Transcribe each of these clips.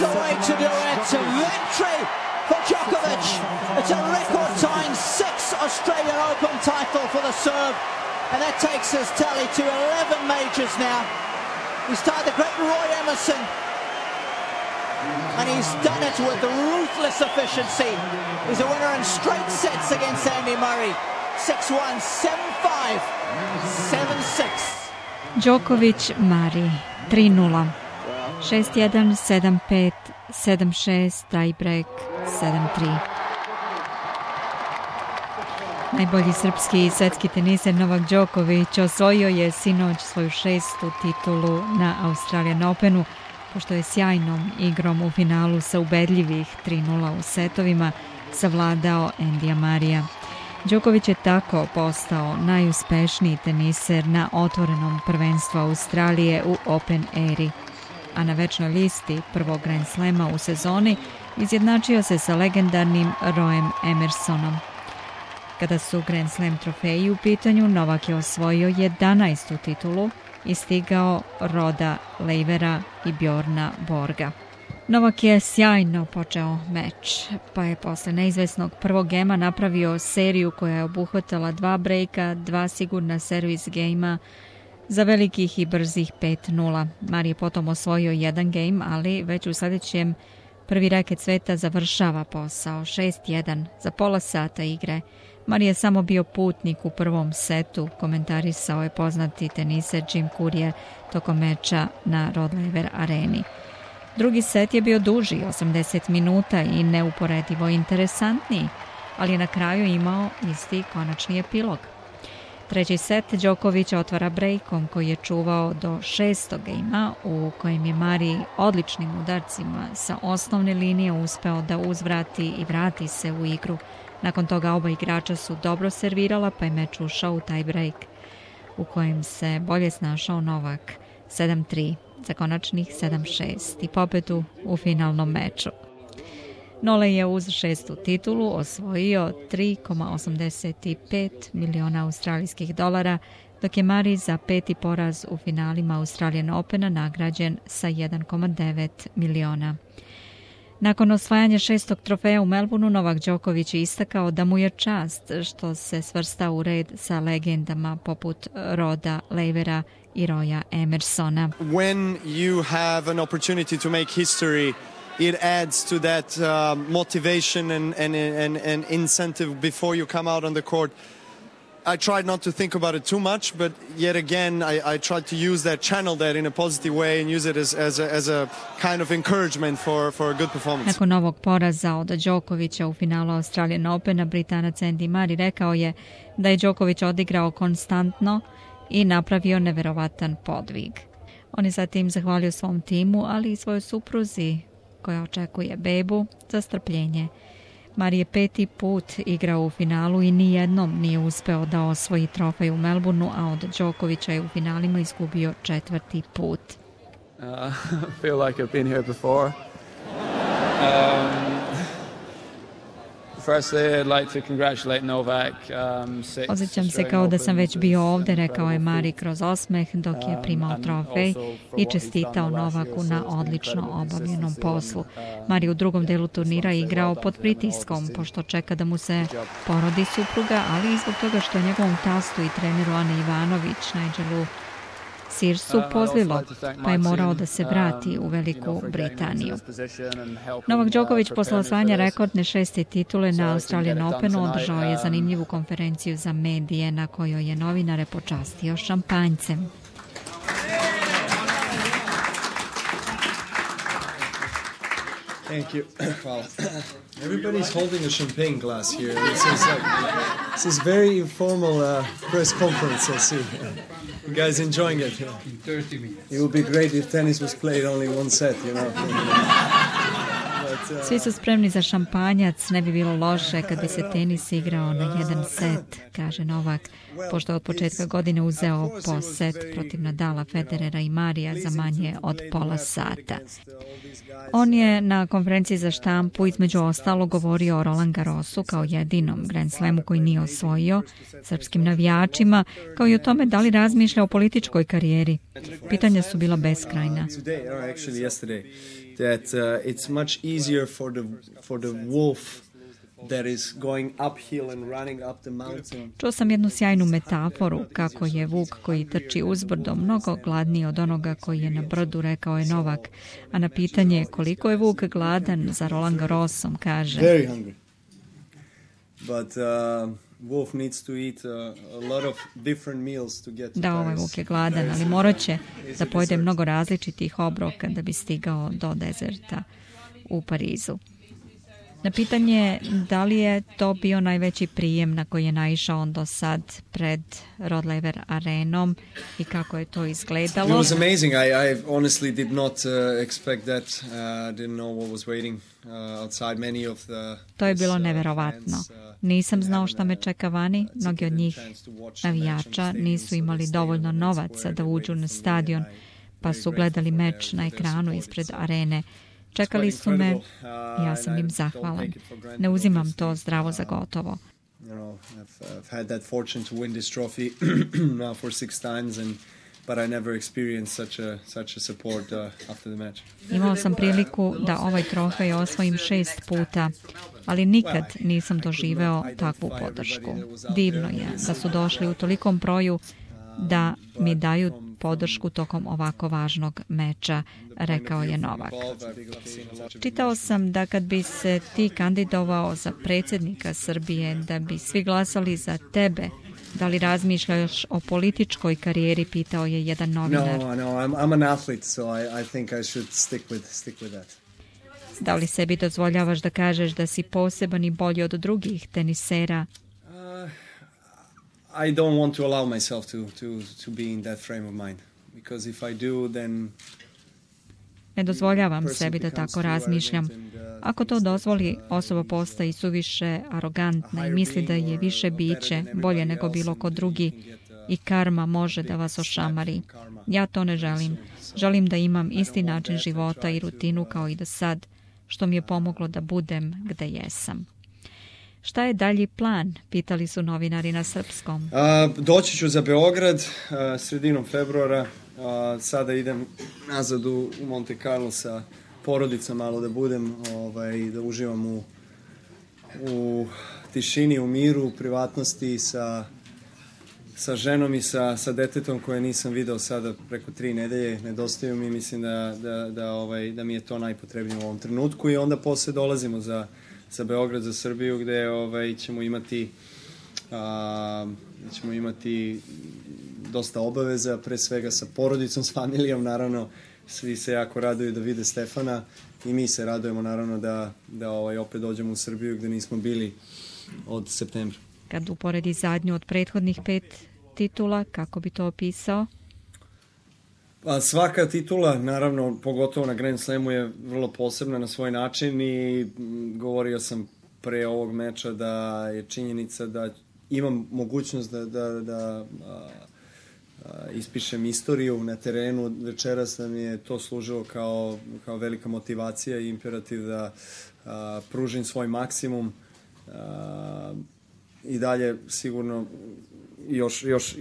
the way to do it. Victory for Djokovic. It's a record-tying 6th Australian Open title for the Serb, and that takes his tally to 11 majors now. He's tied the great Roy Emerson, and he's done it with ruthless efficiency. He's a winner in straight sets against Andy Murray. 6-1, 7-5, 7-6. Djokovic, Murray, 3-0. 6-1, 7-5, 7-6, tiebreak, 7-3. Najbolji srpski svetski teniser Novak Đoković osvojio je sinoć svoju 6. titulu na Australian Openu, pošto je sjajnom igrom u finalu sa ubedljivih 3-0 u setovima savladao Andyja Murraya. Đoković je tako postao najuspešniji teniser na otvorenom prvenstvu Australije u Open eri, a na večnoj listi prvog Grand Slema u sezoni izjednačio se sa legendarnim Royem Emersonom. Kada su Grand Slam trofeji u pitanju, Novak je osvojio 11. titulu i stigao Roda Leivera i Bjorna Borga. Novak je sjajno počeo meč, pa je posle neizvesnog prvog gema napravio seriju koja je obuhvatala 2 brejka, 2 sigurna servis gejma za velikih i brzih 5-0. Murray je potom osvojio 1 gejm, ali već u sledećem prvi reket sveta završava posao 6-1 za pola sata igre. Murray je samo bio putnik u prvom setu, komentarisao je poznati teniser Jim Courier tokom meča na Rod Laver areni. Drugi set je bio duži, 80 minuta i neuporedivo interesantniji, ali je na kraju imao isti konačni epilog. Treći set Đoković otvara brejkom koji je čuvao do 6. gejma, u kojem je Murray odličnim udarcima sa osnovne linije uspeo da uzvrati i vrati se u igru. Nakon toga oba igrača su dobro servirala, pa je meč ušao u taj brejk, u kojem se bolje snašao Novak 7-3 za konačnih 7-6 i pobedu u finalnom meču. Nole je uz 6. titulu osvojio 3,85 miliona australijskih dolara, dok je Murray za 5. poraz u finalima Australian Opena nagrađen sa 1,9 miliona. Nakon osvajanja 6. trofeja u Melbourneu, Novak Đoković je istakao da mu je čast što se svrsta u red sa legendama poput Roda Leivera i Roya Emersona. When you have an opportunity to make history, it adds to that motivation and incentive before you come out on the court. I tried not to think about it too much, but yet again, I tried to use that, channel that in a positive way and use it as a kind of encouragement for a good performance. Nakon novog poraza od Đokovića u finalu Australian Opena, Britanac Andy Murray rekao je da je Đoković odigrao konstantno i napravio neverovatan podvig. On je zatim zahvalio svom timu, ali i svojoj supruzi koja očekuje bebu, za strpljenje. Murray je 5. put igrao u finalu i nijednom nije uspeo da osvoji trofej u Melbourneu, a od Đokovića je u finalima izgubio 4. put. I feel like I've been here before. Firstly, I'd like to congratulate Novak. Osjećam se kao da sam već bio ovde, rekao je Murray kroz osmeh dok je primao trofej i čestitao Novaku na odlično obavljenom poslu. Murray u drugom delu turnira igrao pod pritiskom, pošto čeka da mu se porodi supruga, ali i zbog toga što njegovom tastu i treneru Ani Ivanović, Nigelu Searsu pozlilo, pa je morao da se vrati u Veliku Britaniju. Novak Đoković posle osvajanja rekordne 6. titule na Australian Openu održao je zanimljivu konferenciju za medije na kojoj je novinare počastio šampanjcem. Thank you. Hvala. Everybody's holding a champagne glass here. This is very informal press conference, I see. You guys enjoying it? 30 minutes. It would be great if tennis was played only one set, you know. Svi su spremni za šampanjac, ne bi bilo loše kad bi se tenis igrao na jedan set, kaže Novak, pošto od početka godine uzeo po set protiv Nadala, Federera i Marija za manje od pola sata. On je na konferenciji za štampu između ostalo govorio o Roland Garrosu kao jedinom Grand Slamu koji nije osvojio, srpskim navijačima, kao i o tome da li razmišlja o političkoj karijeri. Pitanja su bila beskrajna. that it's much easier for the wolf that is going uphill and running up the mountain. Čuo sam jednu sjajnu metaforu kako je vuk koji trči uzbrdo mnogo gladniji od onoga koji je na brdu, rekao je Novak. A na pitanje koliko je vuk gladan za Roland Garrosom kaže: Very hungry. But wolf needs to eat a lot of different meals to get to Da, ovaj vuk je gladan, ali morat će da pojede mnogo različitih obroka da bi stigao do dezerta u Parizu. Na pitanje da li je to bio najveći prijem na koji je naišao on do sad pred Rod Laver arenom i kako je to izgledalo. It was amazing. I honestly did not expect that. Didn't know what was waiting outside many of the. To je bilo neverovatno. Nisam znao šta me čeka vani. Mnogi od njih navijača nisu imali dovoljno novaca da uđu na stadion, pa su gledali meč na ekranu ispred arene. Čekali su me i ja sam im zahvalan. Ne uzimam to zdravo za gotovo. I've had that fortune to win this trophy now for 6 times, but I never experienced such a support after the match. Imao sam priliku da ovaj trofej osvojim 6 puta, ali nikad nisam doživeo takvu podršku. Divno je da su došli u tolikom broju da mi daju podršku tokom ovako važnog meča, rekao je Novak. Čitao sam da kad bi se ti kandidovao za predsjednika Srbije, da bi svi glasali za tebe. Da li razmišljaš o političkoj karijeri, pitao je jedan novinar. No, I'm an athlete, so I think I should stick with that. Da li sebi dozvoljavaš da kažeš da si poseban i bolji od drugih tenisera? I don't want to allow myself to be in that frame of mind, because if I do, then ne dozvoljavam sebi da tako razmišljam. Ako to dozvoli, osoba postaje suviše arogantna i misli da je više biće, bolje nego bilo ko drugi i karma može da vas ošamari. Ja to ne želim. Želim da imam isti način života i rutinu kao i do sad, što mi je pomoglo da budem gde jesam. Šta je dalji plan? Pitali su novinari na srpskom. Doći ću za Beograd sredinom februara. Sada idem nazad u Monte Carlo sa porodicom malo da budem, da uživam u tišini, u miru, u privatnosti sa ženom i sa detetom koje nisam video sada preko 3 nedelje. Nedostaju mi, mislim da mi je to najpotrebnije u ovom trenutku i onda posle dolazimo za Beograd, za Srbiju, gde ćemo imati dosta obaveza, pre svega sa porodicom, s familijom, naravno. Svi se jako raduju da vide Stefana i mi se radujemo, naravno, da opet dođemo u Srbiju gde nismo bili od septembra. Kad uporedi zadnju od prethodnih 5 titula, kako bi to opisao? Pa svaka titula, naravno, pogotovo na Grand Slamu, je vrlo posebna na svoj način i govorio sam pre ovog meča da je činjenica da imam mogućnost da ispišem istoriju na terenu. Večeras nam je to služilo kao velika motivacija i imperativ da pružim svoj maksimum i dalje sigurno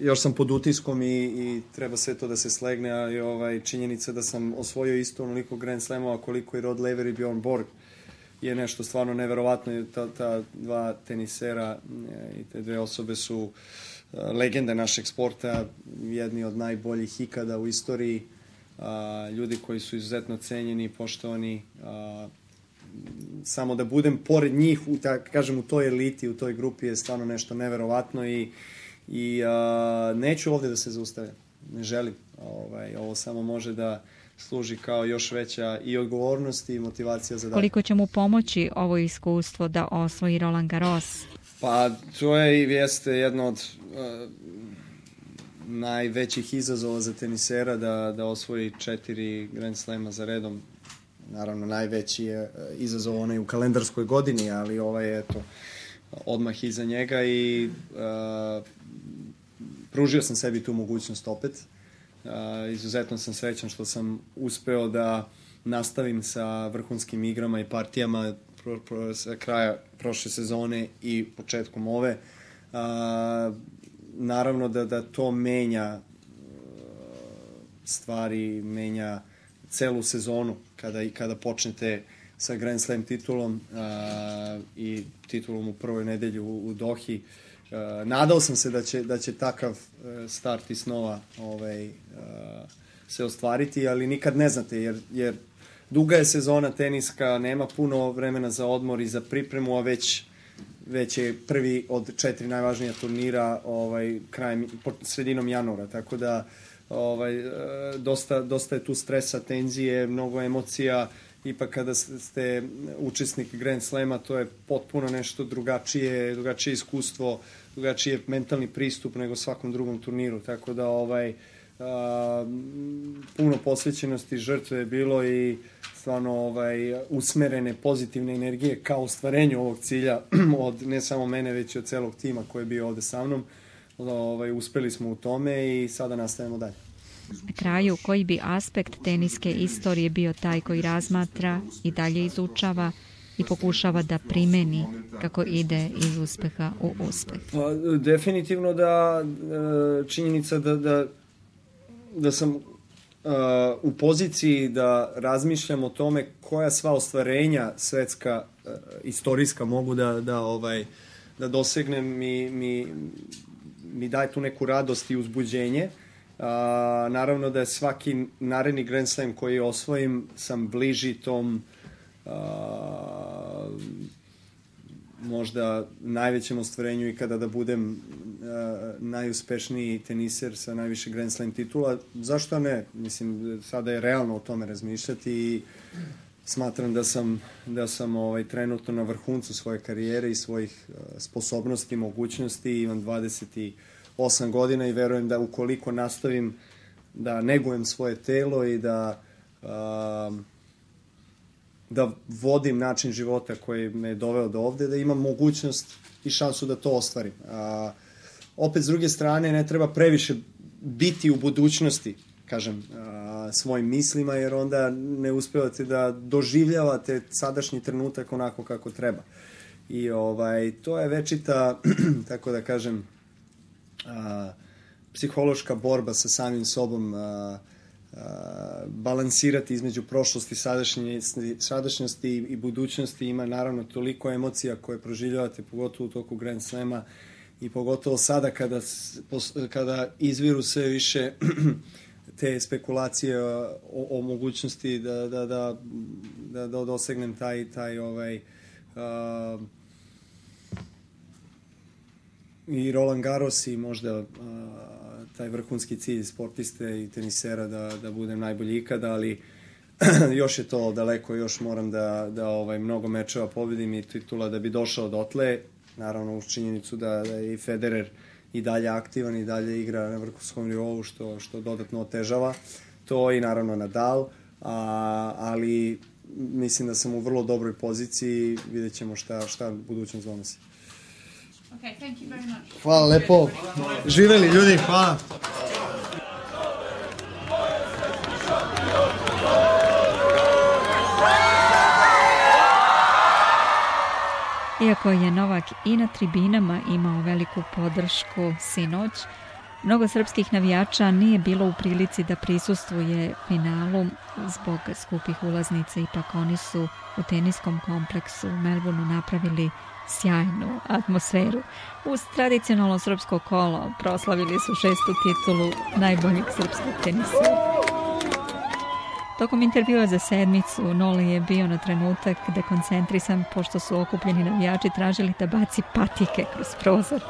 još sam pod utiskom i treba sve to da se slegne, ali činjenica da sam osvojio isto onoliko Grand Slamova koliko i Rod Laver i Bjorn Borg je nešto stvarno neverovatno. Ta dva tenisera i te dve osobe su legende našeg sporta, jedni od najboljih ikada u istoriji, ljudi koji su izuzetno cenjeni i poštovani. Samo da budem pored njih, u toj eliti, u toj grupi je stvarno nešto neverovatno i neću ovde da se zaustavljam. Ne želim. Ovo samo može da služi kao još veća i odgovornost i motivacija za dalje. Koliko će mu pomoći ovo iskustvo da osvoji Roland Garros? Pa to jeste jedno od najvećih izazova za tenisera da osvoji 4 Grand Slema za redom. Naravno, najveći je izazov onaj u kalendarskoj godini, ali ovaj je odmah iza njega i pružio sam sebi tu mogućnost opet. Izuzetno sam srećan što sam uspeo da nastavim sa vrhunskim igrama i partijama sa kraja prošle sezone i početkom ove. Naravno da to menja stvari, menja celu sezonu kada počnete sa Grand Slam titulom i titulom u prvoj nedelji u Dohi. Nadao sam se da će takav start i snova se ostvariti, ali nikad ne znate, jer duga je sezona teniska, nema puno vremena za odmor i za pripremu, a već je prvi od 4 najvažnija turnira sredinom januara, tako da dosta je tu stresa, tenzije, mnogo emocija. Ipak kada ste učesnik Grand Slama, to je potpuno nešto drugačije iskustvo, drugačije mentalni pristup nego svakom drugom turniru, tako da puno posvećenosti, žrtve je bilo i stvarno usmerene pozitivne energije ka ostvarenju ovog cilja od ne samo mene, već i od celog tima koji je bio ovde sa mnom. Uspeli smo u tome i sada nastavimo dalje. Na kraju, koji bi aspekt teniske istorije bio taj koji razmatra i dalje izučava i pokušava da primeni kako ide iz uspeha u uspeh? Definitivno da činjenica da sam u poziciji da razmišljam o tome koja sva ostvarenja svetska, istorijska mogu da dosegnem mi daje tu neku radost i uzbuđenje. Naravno da je svaki naredni Grand Slam koji osvojim sam bliži tom možda najvećem ostvarenju i kada da budem najuspešniji teniser sa najviše Grand Slam titula. Zašto ne? Mislim, sada je realno o tome razmišljati i smatram da sam trenutno na vrhuncu svoje karijere i svojih sposobnosti, mogućnosti. Imam 28 godina i verujem da ukoliko nastavim da negujem svoje telo i da vodim način života koji me je doveo do ovde, da imam mogućnost i šansu da to ostvarim. Opet, s druge strane, ne treba previše biti u budućnosti, kažem, svojim mislima, jer onda ne uspevate da doživljavate sadašnji trenutak onako kako treba. I to je večita, tako da kažem, psihološka borba sa samim sobom, balansirati između prošlosti, sadašnjosti i budućnosti. Ima naravno toliko emocija koje proživljavate, pogotovo u toku Grand Slama i pogotovo sada kada izviru sve više te spekulacije o mogućnosti da dosegnem taj i Roland Garros i možda taj vrhunski cilj sportiste i tenisera da budem najbolji ikada, ali još je to daleko, još moram da mnogo mečeva pobedim i titula da bi došao dotle. Naravno, uz činjenicu da je i Federer i dalje aktivan i dalje igra na vrhunskom nivou, što dodatno otežava to, i naravno Nadal, ali mislim da sam u vrlo dobroj poziciji, vidjet ćemo šta budućnost donosi. Okay, thank you very much. Hvala lepo. Živeli ljudi, hvala. Iako je Novak i na tribinama imao veliku podršku sinoć, mnogo srpskih navijača nije bilo u prilici da prisustvuje finalu zbog skupih ulaznica. Ipak oni su u teniskom kompleksu u Melbourneu napravili sjajnu atmosferu. Uz tradicionalno srpsko kolo proslavili su 6. titulu najboljeg srpskog tenisera. Tokom intervjua za sedmicu Nole je bio na trenutak dekoncentrisan pošto su okupljeni navijači tražili da baci patike kroz prozor.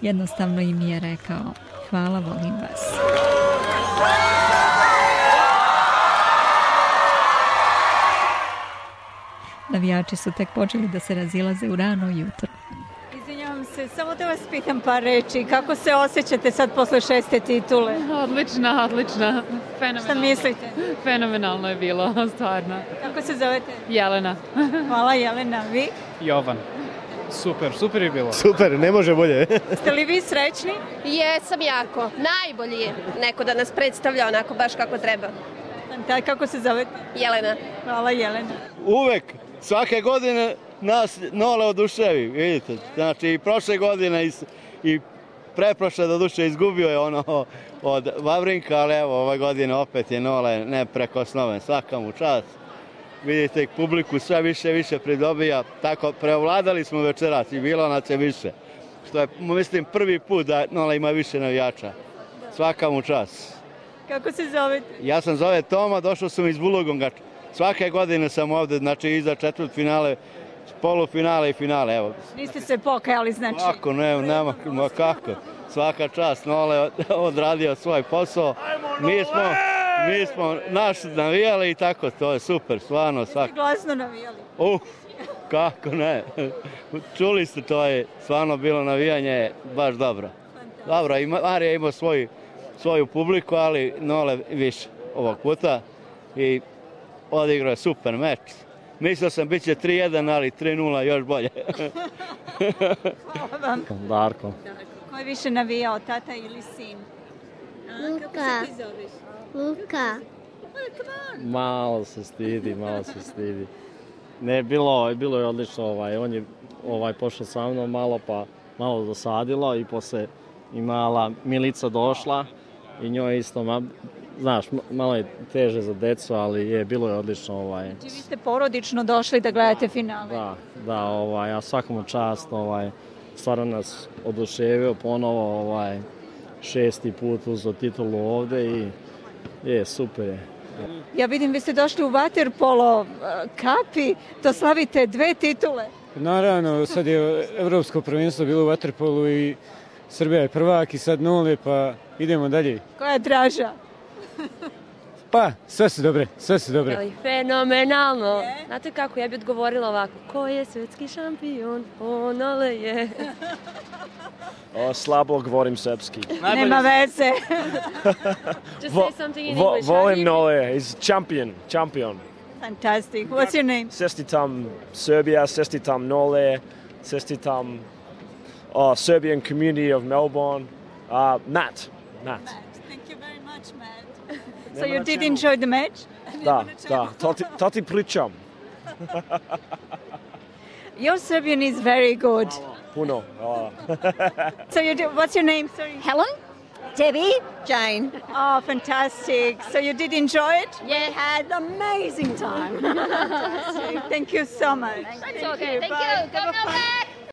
Jednostavno im je rekao: hvala, volim vas. Navijači su tek počeli da se razilaze u rano jutro. Izvinjavam se, samo da vas pitam par reči. Kako se osjećate sad posle 6. titule? Odlična. Fenomenalno. Šta mislite? Fenomenalno je bilo, stvarno. Kako se zovete? Jelena. Hvala, Jelena. Vi? Jovan. Super je bilo. Super, ne može bolje. Ste li vi srećni? Jesam jako. Najbolji je neko da nas predstavlja onako baš kako treba. Kako se zovete? Jelena. Hvala, Jelena. Uvek, svake godine nas Nole oduševi, vidite. Znači i prošle godine i Preprošle do duše izgubio je ono od Vavrinka, ali evo ove godine opet je Nole neprekosnoven. Svaka mu čast. Vidite, publiku sve više pridobija. Tako, preovladali smo večeras i bilo nas je više. Što je, mislim, prvi put da Nola ima više navijača. Svaka mu čast. Kako se zovete? Ja sam zove Toma, došao sam iz Bulogonga. Svake godine sam ovde, znači iza četvrtfinale, polufinale i finale, evo. Niste se pokajali, znači? Kako, nema, kako. Svaka čast, Nole odradio svoj posao. Mi smo naš navijali i tako, to je super, stvarno. Jeste glasno navijali? Kako ne. Čuli ste, to je stvarno bilo navijanje baš dobro. Dobro, i Marija ima svoju publiku, ali Nole više ovog puta i odigrao je super meč. Mislio sam bit će 3-1, ali 3-0 još bolje. Hvala vam. Darko. Ko je više navijao, tata ili sin? Luka. Kako se ti zoveš? Luka. Malo se stidi. Ne, bilo je odlično, on je pošao sa mnom malo dosadilo i posle i mala Milica došla i njoj isto, znaš, malo je teže za decu, ali bilo je odlično. Znači vi ste porodično došli da gledate finale? Da, a svakom čast, stvarno nas oduševio ponovo, 6. put uzeo titulu ovde i super je. Ja vidim, vi ste došli u vaterpolo kapi, to slavite 2 titule. Naravno, sad je evropsko prvenstvo bilo u vaterpolu i Srbija je prvak i sad Nole, pa idemo dalje. Koja je draža? Pa, sve su dobre. Fenomenalno. Znate kako, ja bih odgovorila ovako. Ko je svetski šampion? Nole je. Slabo govorim srpski. Nema veze. Just say something in English. Volim Nole, he's champion. Fantastic. What's your name? Čestitam Serbia, čestitam Nole, čestitam Serbian community of Melbourne. Matt. Thank you very much, Matt. So you did enjoy the match? Da, to ti pričam. Your Serbian is very good. Puno. So what's your name? Sorry. Helen? Debbie? Jane. Oh, fantastic. So you did enjoy it? Yeah, had an amazing time. Fantastic. Thank you so much. That's okay. Thank you. Come back.